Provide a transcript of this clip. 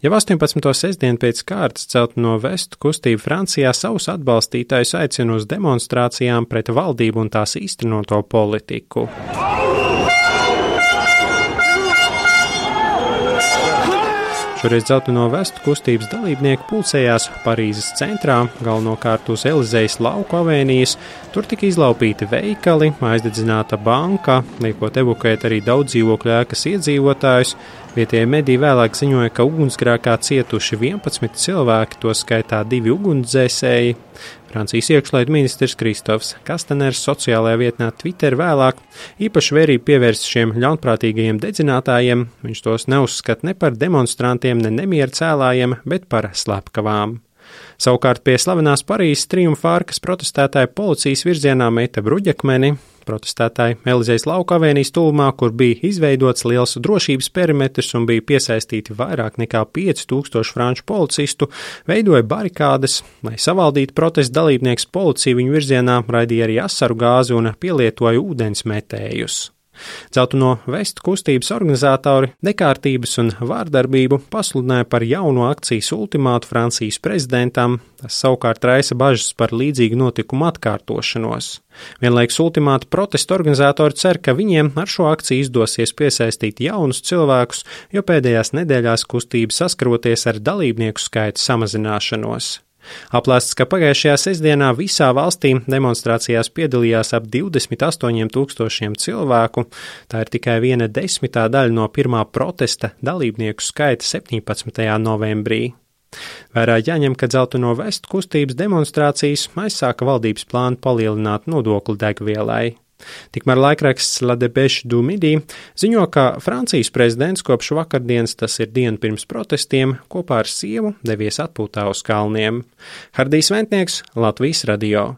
Jau 18. sestdienu pēc kārtas Dzelteno vestu kustība Francijā savus atbalstītājus aicina uz demonstrācijām pret valdību un tās īstenoto politiku. Šoreiz Dzelteno vestu kustības dalībnieki pulcējās Parīzes centrā, galvenokārt uz Elizejas lauku avēnijas. Tur tika izlaupīti veikali, aizdedzināta banka, liekot evakuēt arī daudz dzīvokļu ēkas iedzīvotājus. Vietējie mediji vēlāk ziņoja, ka ugunsgrēkā cietuši 11 cilvēki, to skaitā 2 ugunsdzēsēji. Francijas iekšlietu ministrs Kristofs Kastaners sociālajā vietnē Twitter vēlāk īpaši vērību pievērst šiem ļaunprātīgajiem dedzinātājiem. Viņš tos neuzskata ne par demonstrantiem, ne nemieru cēlājiem, bet par slepkavām. Savukārt pie slavenās Parīzes Triumfa arkas protestētāja policijas virzienā meta bruģakmeni. Protestētāji Elizejas lauka avēnijas tuvumā, kur bija izveidots liels drošības perimetrs un bija piesaistīti vairāk nekā 5000 franču policistu, veidoja barikādes. Lai savaldītu protesta dalībnieks, policija viņu virzienā raidīja arī asaru gāzi un pielietoja ūdensmetējus. Dzelteno vestu kustības organizatori nekārtības un vārdarbību pasludināja par jauno akcijas ultimātu Francijas prezidentam. Tas savukārt raisa bažas par līdzīgu notikumu atkārtošanos. Vienlaikus ultimāta protesta organizatori cer, ka viņiem ar šo akciju izdosies piesaistīt jaunus cilvēkus, jo pēdējās nedēļās kustība saskaroties ar dalībnieku skaita samazināšanos. Aplēsts, ka pagājušajā sestdienā visā valstī demonstrācijās piedalījās ap 28 000 cilvēku. Tā ir tikai 1/10 daļa no pirmā protesta dalībnieku skaita 17. novembrī. Vērā jāņem, ka Dzelteno vestu kustības demonstrācijas aizsāka valdības plānu palielināt nodokli degvielai. Tikmēr laikraksts La Dépêche du Midi ziņo, ka Francijas prezidents kopš vakardienas, tas ir diena pirms protestiem, kopā ar sievu devies atpūtā uz kalniem. Hardijs Ventnieks, Latvijas radio.